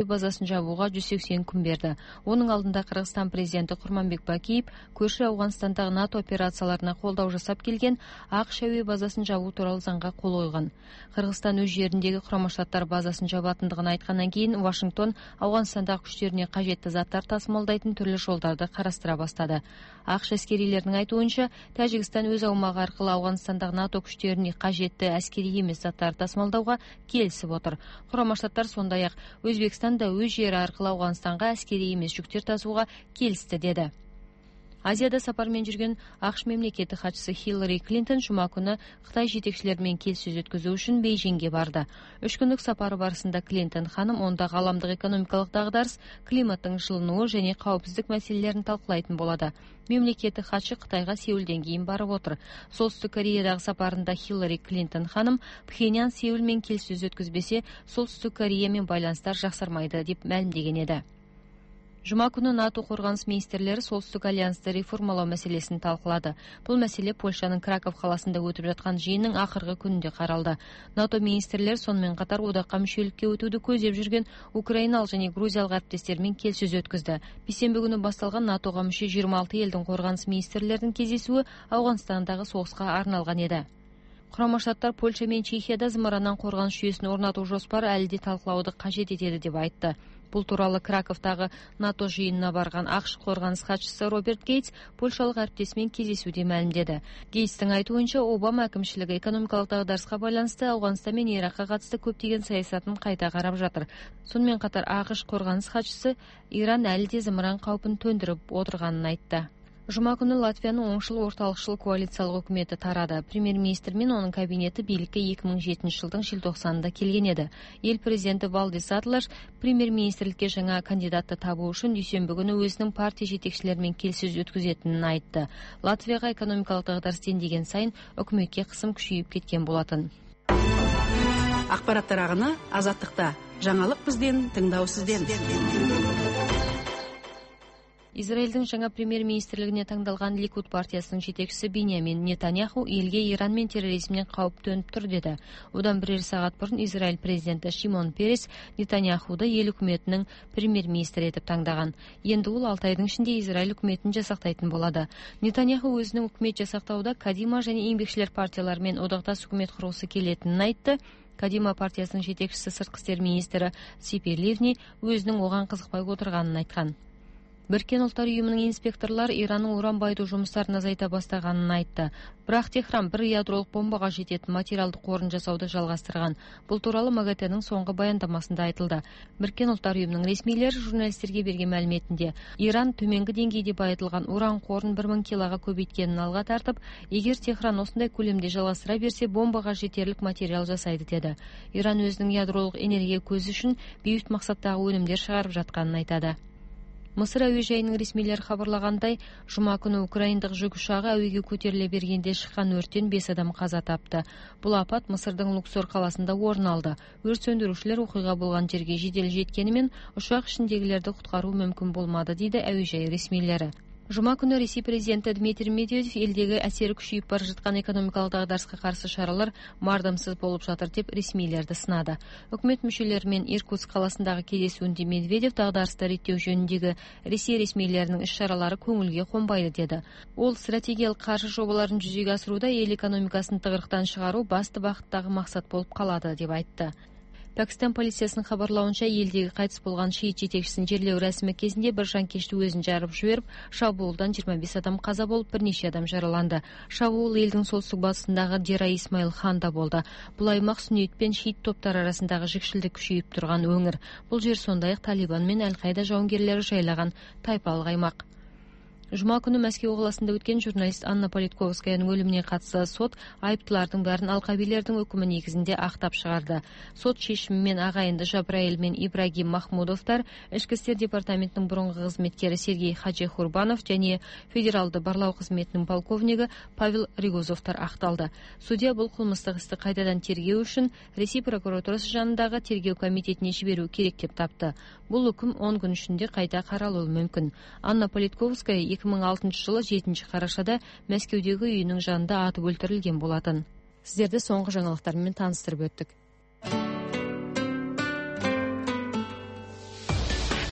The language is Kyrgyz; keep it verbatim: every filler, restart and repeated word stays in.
базасын жабууга жүз сексен күн берди. Онун алдында Кыргызстан президенти Курманбек Бакиев көршү Афганстандагы НАТО операцияларына колдоо жасап келген АКШ әуе базасын жабуу тууралуу заңга кол койгон. Кыргызстан өз жериндеги Курама Штаттар базасын жабатындыгын айткандан кийин Вашингтон Афганстандагы күчтөрүнө кажетти заттар тасымалдайтын түрлүү жолдорду карастыра баштады. АКШ аскерийлеринин айтуунча, Тажикстан өз аумагы аркылуу Афганстандагы НАТО күчтөрүнө кажетти аскерий эмес заттарды тасымалдауга келисип отур. Курама Штаттар сондай-ак Өзбекстан да өз жери аркылуу Афганстанга аскерий эмес жүктөр тасууга келисти деди. Азияда сапар менен жүргөн АКШ мемлекеттик катчысы Хиллари Клинтон жума күнү Кытай жетекчилери менен келиссөз өткөзүү үчүн Бейжиңге барды. Үч күндүк сапары барысында Клинтон ханым онда галамдык экономикалык дагдарыс, климаттын жылынуу және каопсиздик маселелерин талкуулайтын болот. Мемлекеттик катчы Кытайга Сеулден кийин барып отур. Солтүстүк Кореядагы сапарында Хиллари Клинтон ханым Пхеньян Сеул менен келиссөз өткөзбесе, Солтүстүк Корея менен байланыштар жаксармайды деп маалимдеген эди. Жума күнү НАТО коргонус министрлери Солтүстүк альянсты реформалоо маселесин талкуулады. Бул маселе Польшанын Краков каласында өтүп жаткан жыйындын акыркы күнүндө каралды. НАТО министрлери сонун катар одакка мүчөлүккө өтүүдү көздөп жүргөн украиналык жана грузиялык ариптестер менен келиссөз өткөздү. Бейсенби күнү башталган НАТОга мүчө жыйырма алты элдин коргонус министрлеринин кездесүүсү Афганстандагы согуска арналган эди. Курама Штаттар Польша менен Чехияда зымырандан коргонуш жүйөсүн орнотуу жоспары әлде талкуулауду кажет этеди деп айтты. Бул тууралуу Краковдагы НАТО жыйынына барган АКШ коргонус катчысы Роберт Гейтс польшалык ариптеси менен кездесүүдө маалимдеди. Гейтстин айтуунча, Обама акимчилиги экономикалык дагдарыска байланыштуу Афганстан менен Иракка катысты көптөгөн саясатын кайта карап жатыр. Сонун менен катар АКШ коргонус катчысы Иран әлде зымыран каупун төндүрүп отырганын айтты. Жума күнү Латвиянын оңшул орталыкчыл коалициялык өкмөтү тарады. Премьер-министр менен анын кабинети бийликке эки миң жетинчи жылдын желтоқсанында келген эди. Эл президенти Валдис Атлаш премьер-министрликке жаңа кандидатты табуу үчүн дүйшөмбү күнү өзүнүн партия жетекчилери менен келиссөз өткөзөтүнүн айтты. Латвияга экономикалык дагдарыс дендеген сайын өкмөткө кысым күчөйүп кеткен болотун. Акпараттар агыны Азаттыкта. Жаңылык бизден, тыңдоо сизден. Израилдин жаңа премьер-министрлигине таңдалган Ликуд партиясынын жетекчиси Биньямин Нетаньяху элге Иран менен терроризмден кауп төнүп тур деди. Одан бир саат мурун Израиль президенти Шимон Перес Нетаньяхуду эл өкмөтүнүн премьер-министри этип таңдаган. Энди ул алты айдын ичинде Израиль өкмөтүн жасактайтын болот. Нетаньяху өзүнүн өкмөт жасактоодо Кадима жана Эмгекчилер партиялары менен одакташ өкмөт кургусу келетинин айтты. Кадима партиясынын жетекчиси сырткы иштер министри Ципи Ливни өзүнүн оган кызыкпай отурганын айткан. Бириккен Улуттар уюмунун инспекторлор Иранын уран байытуу жумуштарын азайта баштаганын айтты. Бирок Техран бир ядролук бомбага жететін материалдык корун жасауду жалгастырган. Бул тууралуу МАГАТЭнин соңку баяндамасында айтылды. Бириккен Улуттар уюмунун ресмийлери журналисттерге берген маалиметинде Иран төмөнкү деңгейде байытылган уран корун бир миң килога көбөйткөнүн алга тартып, эгер Техран осундай көлөмдө жалгастыра берсе, бомбага жетерлик материал жасайды деди. Иран өзүнүн ядролук энергия көзү үчүн бейбит максаттагы өнүмдөр чыгарып жатканын айтады. Мысыр әуе жайынын ресмийлери кабарлагандай, жума күнү украиндык жүк учагы әуеге көтөрүлө бергенде чыккан өрттөн беш адам каза тапты. Бул апат Мысырдын Луксор каласында орун алды. Өрт сөндүрүүчүлөр окуйга болгон жерге жедел жеткени менен учак ичиндегилерди куткаруу мүмкүн болмады, дейди әуе жай ресмийлери. Жума күнү Ресей президенти Дмитрий Медведев элдеги әсери күчөйүп бара жаткан экономикалык дагдарыска каршы чаралар мардымсыз болуп жатыр деп ресмийлерди сынады. Өкмөт мүчөлөрү менен Иркутск каласындагы кездесүүндө Медведев дагдарысты реттөө жөнүндөгү Ресей ресмийлеринин иш-чаралары көңүлгө конбайды деди. Ол стратегиялык каршы жобаларын жүзөгө асырууда эл экономикасын тыгырыктан чыгаруу басты багыттагы максат болуп калады деп айтты. Пакистан полициясынын кабарлауынча, элдеги кайтыс болгон шиит жетекчисин жерлөө расмы кезинде бир жанкечти өзүн жарып жиберип, шабуулдан жыйырма беш адам каза болуп, бир нече адам жараланды. Шабуул элдин солтүстүк батысындагы Дера Исмаил Ханда болду. Бул аймак сүннит пен шиит топтор арасындагы жикшилдик күчөйүп турган өңүр. Бул жер сондай-ак Талибан менен Аль-Кайда жауынгерлери жайлаган тайпалык аймак. Жума күнү Мәскеу каласында өткөн журналист Анна Политковскаянын өлүмүнө катысты сот айыптылардын баарын алкабилердин өкүмү негизинде актап чыгарды. Сот чечими менен агайынды Жабраил менен Ибрагим Махмудовдор, Ички иштер департаментинин мурунку кызметкери Сергей Хаджихурбанов жана федералды барлоо кызметинин полковниги Павел Ригозовдор акталды. Судья бул кылмыштык исти кайтадан тергөө үчүн Ресей прокуратурасы жанындагы тергөө комитетине жиберүү керек деп тапты. Бул өкүм он күн ичинде кайта каралуу мүмкүн. Анна Политковская эки миң алтынчы жылы жетинчи карашада Мәскеудөгү үйүнүн жанында атып өлтүрүлгөн болатын. Сиздерди соңку жаңылыктар менен тааныстырып өттүк.